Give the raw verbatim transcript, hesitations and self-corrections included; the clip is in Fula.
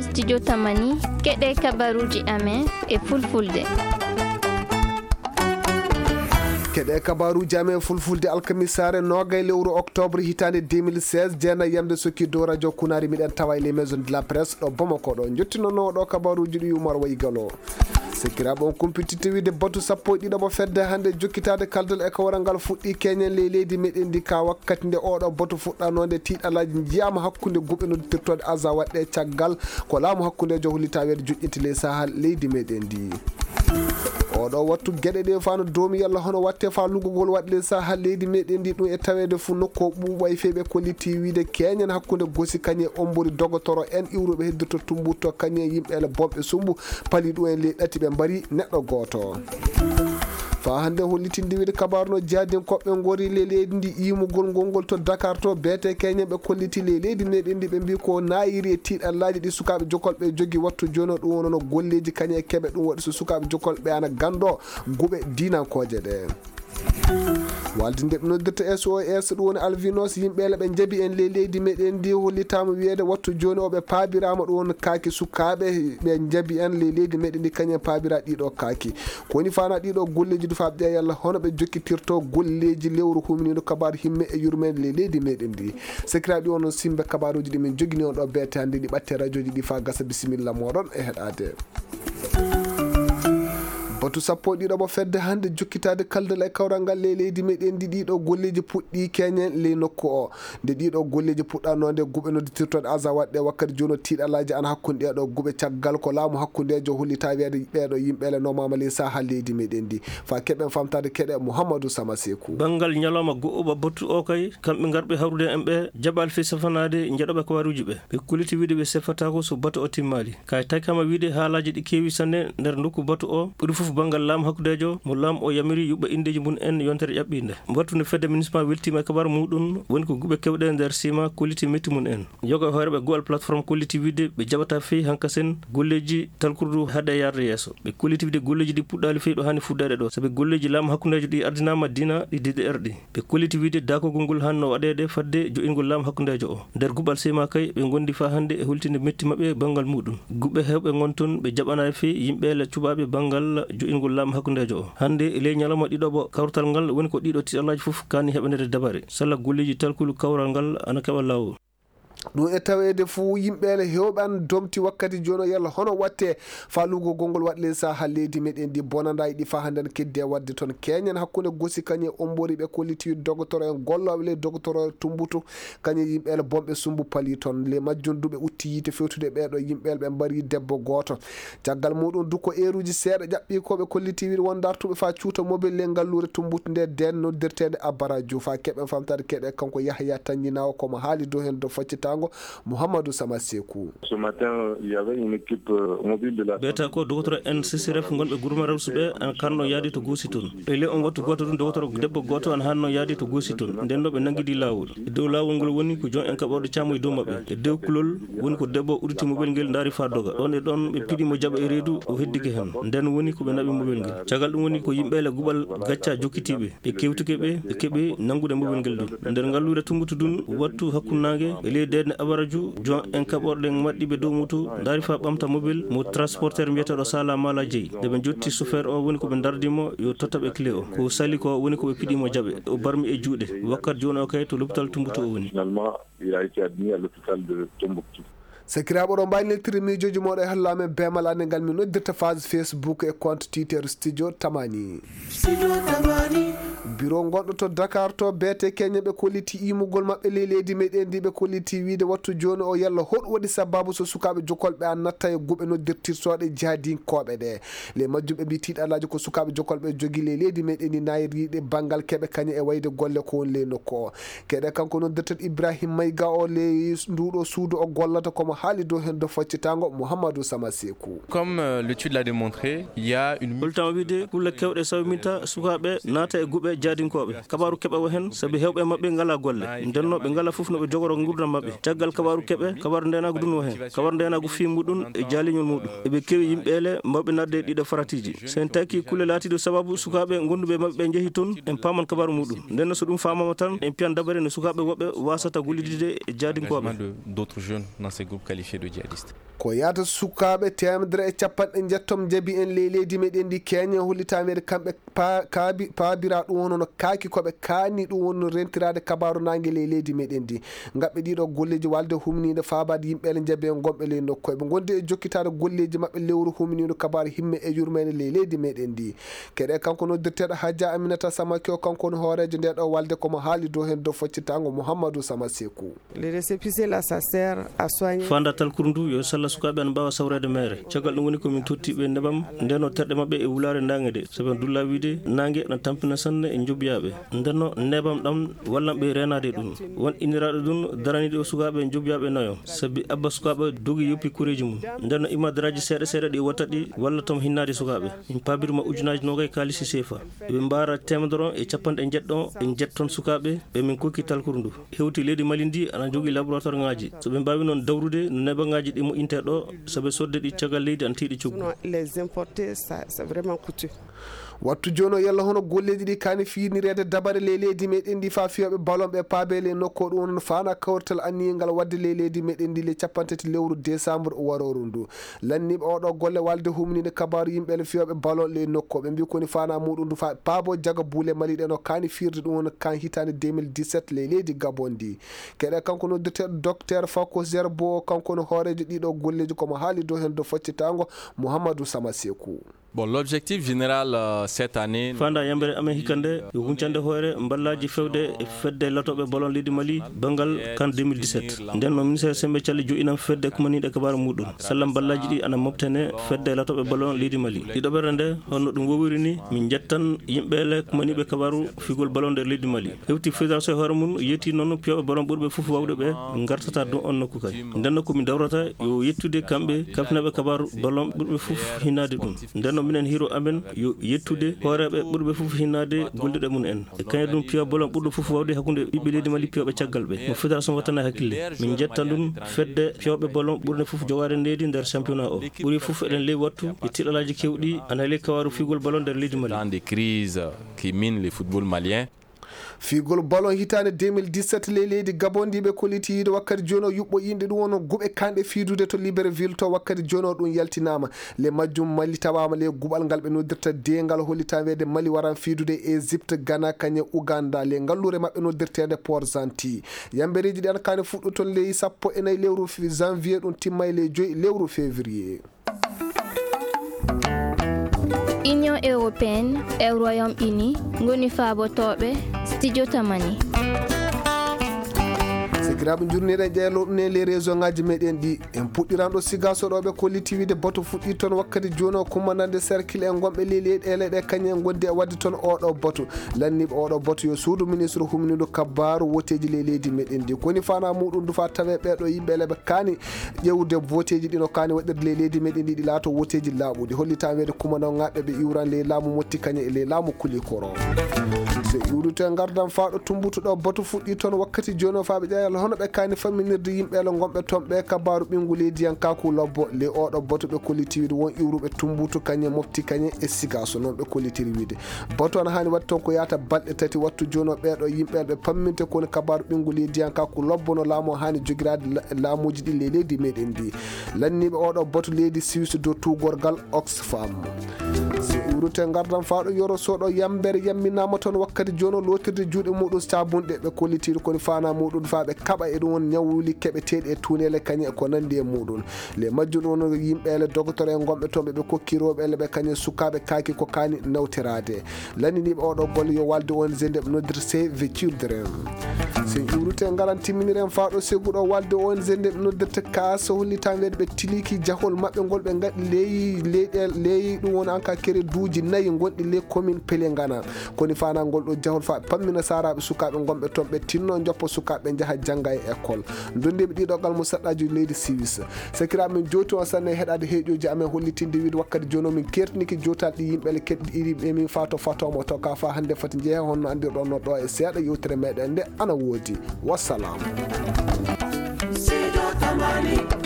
Studio Tamani, keɗe kabaruuji amen e fulfulde. Keɗe kabaruuji amen fulfulde alkamisaare noogay lewru octobre hitaande deux mille seize, jeenay yamde sokki dow radio Kunaari, miɗen tawa e les maisons de la presse ɗo Bamako ɗo. Njottinono ɗo kabaruuji ɗi Umar Waygalo. Sekiraaɓe on kumpititte wiide batu sappo e ɗiɗo mo fedde hannde jokkitaade kaldal e kawral ngal fuɗɗi keñen ley leydi meɗen ndi ka wakkati nde oɗo batu fuɗɗanoo nde tiiɗalaaji njiyaama hakkunde guɓe noddirtooɗe aza waɗɗe caggal ko laamu hakkundeejo hollita weede joƴƴinti ley saha leydi meɗen ndi. Oɗo wattu geɗe ɗe fano doomi yalla hono watte fa lugugol waɗde saha leydi meɗen ndi ɗum e taweede fu nokku o ɓuuɓay feyɓe kolliti wiide keñen hakkunde gosi kañe ombori dogotoro en iwruɓe heddirto tumbuto kañe yimɓe ele bomɓe sumbu pali ɗum en ley ɗati ɓe mbari neɗɗo gooto. Fa hannde hollitinde wiide kabaru no jaadin koɓɓe ngori ley leydi ndi yimugol ngol ngol to Dakar to beete keñen ɓe kolliti ley leydi meɗen ndi ɓe mbi ko nayiri e tiiɗallaaji ɗi sukaaɓe jokolɓe jogi wattu jono ɗum wonono golleeji kañe e keɓe ɗum waɗi so sukaaɓe jokolɓe ana ganndo guɓe dinankooje ɗe. Walde nde ɓe noddirta S O S ɗum woni albinos yimɓe le ɓe njabi en ley leydi meɗen ndi hollitama wiyeede wattu joni o ɓe paabirama ɗum woni kaaki sukaaɓe ɓe njabi en ley leydi meɗen ndi kañum en paabira ɗiɗo kaaki. Ko woni fana ɗiɗo golleji du fa ɓe yalla hono ɓe jokkitirto golleji lewru huminiɗo kabaru himme e yurmede ley leydi meɗen ndi. Sekiraɓe ɗi onon simbe kabaruji ɗi min jogini on ɗo beete hannde ɗi ɓatte radioji ɗi fa gasa bisimilla moɗon e heɗade. Batu sappo e ɗiɗo mo fedde hannde jokkitaade kaldal e kawral ngal ley leydi meɗen ndi ɗiɗo golleeji puɗɗi keñen ley nokku o. Nde ɗiɗo golleeji puɗɗanoo nde guɓe nodditirtooɗe aza waɗde wakkati jooni o tiiɗalaaji ana hakkunde ɗeɗo guɓe caggal ko laamu hakkundeejo hollita wiyeede ɓeɗo yimɓe le nomama ley saha leydi meɗen ndi. Fa keɓen famtaade keɗe Mouhamadou Sama Sekou. Banngal ñalawma go'o ba batu o kay kamɓe ngarɓe hawrude en ɓe jaɓal fi safanaade njeɗoɓe kabaruuji ɓe. Ɓe kulliti wiide ɓe sefataako so batu o timmaali. Kay taykama wiide haalaaji ɗi keewi sanne nder nokku batu o, ɓuri fof banngal laamu hakkundeejo mo laamu o yamiri yuɓɓa inndeeji mum en yontere ƴaɓɓiinde. Wattu nde fedde municipal weltiima e kabaru muɗum, woni ko guɓe kewɗe nder sima kolliti metti mum en. Yoga e hooreɓe guɓal plateforme kolliti wiide ɓe jaɓata fey hankasen golleeji talkurdu haade yarde yeeso. Ɓe kolliti wiide golleeji ɗi puɗɗaali fey ɗo haani fuɗɗaade ɗo, sabi golleeji laamu hakkundeejo ɗi ardinaama dina ɗi D D R ɗi. Ɓe kolliti wiide daakugol ngol haanno waɗeede fadde jo'ingol laamu hakkundeejo o. Nder guɓal sema kay, ɓe ngondi faa hannde e holtinde metti maɓɓe banngal muɗum. Guɓe heewɓe ngon toon, ɓe jaɓanaay fey yimɓe le cuɓaaɓe banngal jo'ingol laamu hakkundeejo o. Hannde e ley ñalawma ɗiɗoɓo kawtal ngal woni ko ɗiɗo tiiɗalaaji fof kaani heɓanede dabare. Salla golleeji talkulu kawral ngal ana keɓa laawol. Ɗum e taweede fuu yimɓe le heewɓe an domti wakkati jooni o yalla hono watte faalugol gongol waɗ ley saha leydi meɗen ndi bonanda e ɗi fa hannde ne keddi e waɗde toon keñen hakkunde gosi kañum e ombori ɓe kolliti dogotoro en gollooɓe ley dogotoro tumbutu kañum yimɓe le bonɓe sumbu pali toon le majjum duɓe utti yiite fewtude ɓeeɗo yimɓe le ɓe mbari debbo gooto. Caggal muɗum du ko eeruuji seeɗa ƴaɓɓii ko ɓe kolliti wiide won dartuɓe faa cuuta mobel ley ngalluure tumbutu nde deen noddirteende Abara Diouf faa keɓen famtaade keɗe kanko Yahya Tanjinawo komo haali dow heen do faccitaango Mouhamadou Sama Sekou. Ce matin, il y avait une équipe, euh, mobile de la Ɓeeta ko dogotoro en C C R F ngonɓe gurmaral suɓe an kanno yaadi to goosi toon. E ley on wattu gooto ɗum dogotoro debbo gooto an hanno yaadi to goosi toon. Nden no ɓe nanngidi laawol. E dow laawol ngol woni ko joom en kaɓorɗe caamuji dow maɓɓe. E dow kulol woni ko debbo udditi mobel ngel ndaari faa doga. Ɗon e ɗon ɓe piɗi mo jaɓa e reedu o heddike heen. Nden woni ko ɓe naɓi mobel ngel. Caggal ɗum woni ko yimɓe le guɓal gacca jokkitiiɓe. Ɓe kewtike ɓe, ɓe keɓi nanngude mobel ngel ɗum. Nder ngalluure Tummbutu ɗum, wattu hakkunnaange, e ley deeɗne Abaraju, joom en kaɓorɗe maɗɗiiɓe dow moto, ndaari faa ɓamta mobel mo transporteur mbiyeteeɗo Sala Mala Jeyi. Nde ɓe njotti chauffeur o, woni ko ɓe ndardi mo, yo totta ɓe clé o. Ko sali ko, woni ko ɓe piɗi mo jaɓe. O barmi e juuɗe. Wakkati jooni o kay to l'hôpital Tummbutu o woni. Finalement, il a été admis à l'hôpital de Tombouctou. Sakiraaɓe, oɗon mbaawi neltire miijooji mooɗon e halla amen beemal annde ngal min noddirta page Facebook e compte Twitter Studio Tamani. Studio Tamani. Biro gonɗo to Dakar to beete keñe ɓe kolliti imugol maɓɓe ley leydi meɗen ndi ɓe kolliti wiide wattu jooni o yalla hoɗum waɗi sababu so sukaaɓe jokolɓe an natta e guɓe noddirtirtooɗe jaadinkooɓe ɗe. Ley majjum ɓe mbi tiiɗalaaji ko sukaaɓe jokolɓe jogi ley leydi meɗen ndi nayriiɗe banngal keɓe kañe e wayde golle ko woni ley nokku o. Keɗe kanko noddirten Ibrahim Mayga o ley nduɗo suudu o gollata komo haali dow heen do faccitango Mouhamadou Sama Sekou. Comme, euh, l'étude l'a démontré, il y a une Holtama wiide kulle kewɗe sawminta sukaaɓe naata e guɓe jaadinkooɓe. Kabaru keɓa o heen sabi heewɓe maɓɓe ngala golle. Ndenno ɓe ngala fof no ɓe jogoro nguurdam maɓɓe. Caggal kabaru keɓe, kabaru ndenagu dun o heen. Kabaru ndenagu fii muɗum e jaaliñol muɗum. Eɓe kewi yimɓe ele mawɓe nadde e ɗiɗo faratiiji. Sen taki kulle laatiiɗo sababu sukaaɓe gonduɓe maɓɓe ɓe njehi toon, en paaman kabaru muɗum. Ndenno so ɗum faamama tan, en piyan dabare no sukaaɓe woɓɓe wasata gollidide e jaadinkooɓe. Engagement de d'autres jeunes dans ces groupes qualifiés de djihadistes. Ko yahata sukaaɓe teemedere e capanɗe njettom njabi en ley leydi meɗen ndi keñe hollitameede kamɓe pa- kaabi- paabira ɗum wonno kaaki koɓe kaani ɗum wonno rentiraade kabaaru naange ley leydi meɗen ndi. Ngaɓɓe ɗiɗo golleeji walde humniinde faabaade yimɓe ele njabi en gonɓe ley nokku eɓe ngondi e jokkitaade golleeji maɓɓe lewru humniindu kabaaru himme e yurmeende ley leydi meɗen ndi. Keɗe kanko noddirteeɗo Hajja Aminata Samake o kanko woni hooreejo nde ɗo walde komo haali dow heen dow foccitaango Mouhamadou Sama Sekou. Le récépissé là, ça sert à soigner. Fanda talkuru ndu yo salla sukaaɓe ana mbaawa sawreede meere. Caggal ɗum woni ko min totti ɓe nebam ndenno terɗe maɓɓe e wulaare naange de. Sabi dulla wiide naange na tampina sanne e njobiyaɓe. Ndenno nebam ɗam wallan ɓe reenaade ɗum. Won inniraaɗo ɗum daraniiɗo sukaaɓe njobiyaɓe nayo. Sabi abba sukaaɓe dogi yoppi kureeji mum. Ndenno ima daraaji seeɗa seeɗa ɗi watta ɗi walla tom hinnaade sukaaɓe. Min paabirma ujunaaji noogay kaalisi seefa. Ɓe mbaara teemedere e capanɗe njeɗɗo e njetton sukaaɓe ɓe min kokki talkuru ndu. Hewti leydi Mali ndi ana jogii laboratoire ŋaaji. So ɓe mbaawi noon dawrude no nebaŋaaji ɗi moƴƴintee ɗo, so ɓe sodde ɗi caggal leydi ana tiiɗi coggu. Sinon, les importer, ça, c'est vraiment coûteux. Wattu jooni o yalla hono golleeji ɗi kaani fiirnireede dabare ley leydi meɗen ndi faa fiyooɓe ballon ɓe paabe ley nokku o ɗum woni faana kawrital anniyel ngal waɗde ley leydi meɗen ndi le capanɗe tati lewru décembre warooru ndu. Lanniiɓe oɗo golle walde humniinde kabaaru yimɓe le fiyooɓe ballon ley nokku o ɓe mbi koni faana muɗum ndu faa paabo jaga buule Mali ɗen o kaani fiirde ɗum woni kan hitaande deux mille dix-sept ley leydi Gabon ndi. Keɗe kanko noddirteeɗo Docteur Fako Zerbo, kanko woni hooreejo ɗiɗo golleeji komo haali dow heen dow foccitaango Mouhamadou Sama Sekou. Bon, l'objectif général, euh, cette année, fanda yambere amen hikande yo huncande hoore mballaaji fewde e fedde latooɓe ballon leydi Mali banngal kan deux mille dix-sept. Nden no ministère sembe calli joɗɗinam fedde kumaniiɗe kabaaru muɗum. Salla mballaaji ɗi ana mobtene fedde latooɓe ballon leydi Mali. Ɗiɗo ɓerɗe nde honno ɗum wowiri ni min njettan yimɓe le kumaniiɓe kabaaru figol ballon nder leydi Mali. Hewti fédération e hoore mum yetti noon piyooɓe ballon ɓurɓe fof wawde ɓe ngartata ɗum on nokku kay. Nden no ko min dawrata yo yettude kamɓe kafnaɓe kabaaru ballon ɓurɓe fof hinnaade ɗum. Nden no minen hiro amen yo yettude hooreeɓe ɓurɓe fof hinnaade golliɗe mum en. E kañum ɗum piya ballon ɓurɗo fof wawde hakkunde ɓiɓɓe leydi Mali piyooɓe caggal ɓe. Mo fédération wattana hakkille. Min jetta ɗum fedde piyooɓe ballon ɓurɓe fof jogaade neydi nder championnat o. Ɓuri fof eɗen ley wattu e tiɗalaaji kewɗi ana ley kabaaru figol ballon nder leydi Mali. Dans des crises qui minent le football malien. Fiigol ballon hitaande deux mille dix-sept ley leydi Gabon ndi ɓe kolliti yiide wakkati jooni o yuɓɓo yimɓe ɗum woni guɓe kanɗe fiidude to Libreville to wakkati jooni o ɗum yaltinaama. Le majjum Mali tawaama le guɓal ngal ɓe noddirta deengal hollitaama weede Mali waran fiidude Égypte, Ghana, kañe Ouganda le ngalluure maɓɓe noddirteende Port-Gentil. Yambereeji ɗi ana kaani fuɗɗo toon ley sappo e nayi lewru fi- janvier ɗum timma e ley joyi lewru février. Union européenne e Royaume-Uni ngoni faabotooɓe Studio Tamani. Sikiraaɓe njurniiɗen ƴeelo ɗum e les région ngaji meɗen ɗi en puɗɗiranɗo siga soɗoɓe kolliti wiide bato fuɗɗi toon wakkati jooni o commandant de cercle en gonɓe ley leyɗeele ɗe kañum en gondi e wadde toon oɗo bato. Lanniiɓe oɗo bato yo suudu ministre humniiɗo kabaaru woteeji ley leydi meɗen ndi koni fana muɗum dufa tawe ɓeɗo yimɓe leɓe kaani ƴewde voteeji ɗino kaani waɗirde ley leydi meɗen ndi ɗi laato woteeji laaɓuɗi hollitaama weede kumanawŋaaɓe ɓe iwran ley laamu motti kañe e ley laamu kulikoro. So iwrito e ngardan faaɗo tumbutuɗo bato fuɗɗi toon wakkati jooni o faaɓe ƴeewal hono ɓe kaani famminirde yimɓe ele gonɓe toon ɓe kabaaru ɓinngu leydiyankaaku lobbo ley oɗo bato ɓe kolliti wiide won iwruɓe tumbutu kañe mofti kañe e siga so noon ɓe kollitiri wiide. Bato ana haani waɗde toon ko yahata balɗe tati wattu jooni o ɓeeɗo yimɓe ɓe pamminte ko woni kabaaru ɓinngu leydiyankaaku lobbo no laamu o haani jogiraade la- laamuuji ɗi ley leydi meɗen ndi. Lanniiɓe oɗo bato leydi Suisse dow tuugorgal Oxfam. So iwrite ngardan faaɗo yoro soɗo yambere yamminaama toon wakkati jooni o lootirde juuɗe muɗum sabunɗe ɓe kollitiiɗo koni fana muɗum faa ɓe kaɓa e ɗum won ñawuli keɓeteeɗi e tuuneele kañe e ko nanndi e muɗum. Le majjum ɗum won yimɓe ele dogotoro en gonɓe toon ɓe ɓe kokki rewɓe ele ɓe kañum sukaaɓe kaaki ko kaani nawtoraade. Lanndiniiɓe oɗo golle yo walde O N G nde ɓe noddirta Save the Children. So en iwrite ngaran timminiren faaɗo seguɗo walde O N G nde ɓe noddirta kaas hollitan weede ɓe tiliki jahol maɓɓe ngol ɓe ngaɗi ley leyɗe ley ɗum woni anka kereduuji nayi gonɗi ley commune Pelengana. Koni fana ngol ɗo jahol faa ɓe pammina saaraaɓe sukaaɓe gonɓe toon ɓe tinno joppo sukaaɓe njaha jannga e école. Ndondiiɓe ɗiɗo gal mo saɗɗaaji leydi Siwis. Sakiraaɓe min jowti on sanne e heɗaade heeƴooji amen hollitinde wiide wakkati jooni o min kertinike jowtaal ɗi yimɓe le keɗɗiɗi ɓe min faa to fatoomo to ka faa hannde foti njehe honno anndirɗon no ɗo e seeɗa yewtere meɗen nde ana woodi. Wassalam. Sido Tamani.